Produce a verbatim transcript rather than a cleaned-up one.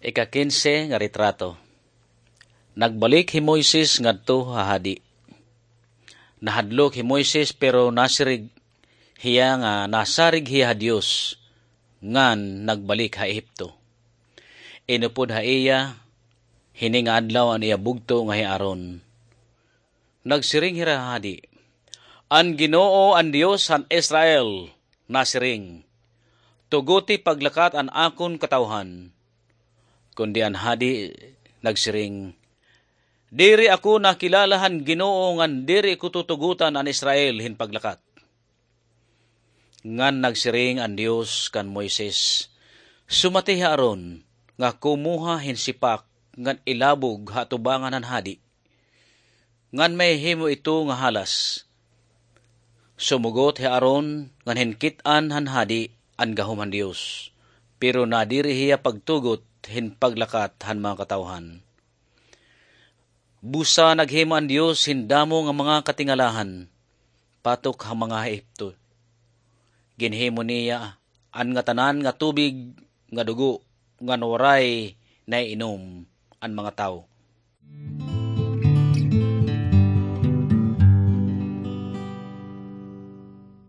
Ika-kinse nga retrato. Nagbalik hi Moises ngadto ha hadi. Nahadlok hi Moises, pero nasiring hiya nga nasarig hiya ha Dios ngan nagbalik ha Ehipto. Inupod ha iya hini nga adlaw an iya bugto nga hi Aaron. Nagsiring hira ha hadi, "An Ginoo, an Dios han Israel, nasiring, 'Tuguti paglakat an akon katawhan.'" Kundi an hadi nagsiring, "Diri ako nakilala han Ginoo ngan diri ko tutugotan an Israel hin paglakat." Ngan nagsiring an Dios kan Moises, "Sumati hi Aaron nga kumuha hin sipak ngan ilabog ha atubangan han hadi, ngan mahihimo ito nga halas." Sumugot hi Aaron ngan hinkit-an han hadi an gahom han Dios, pero nadiri hiya pagtugot hin paglakat han mga katawhan. Busa naghimo an Dios hin damo nga mga katingalahan batok ha mga Ehipto. Ginhimo niya an ngatanan nga tubig nga dugo, ngan waray naiinom an mga tawo.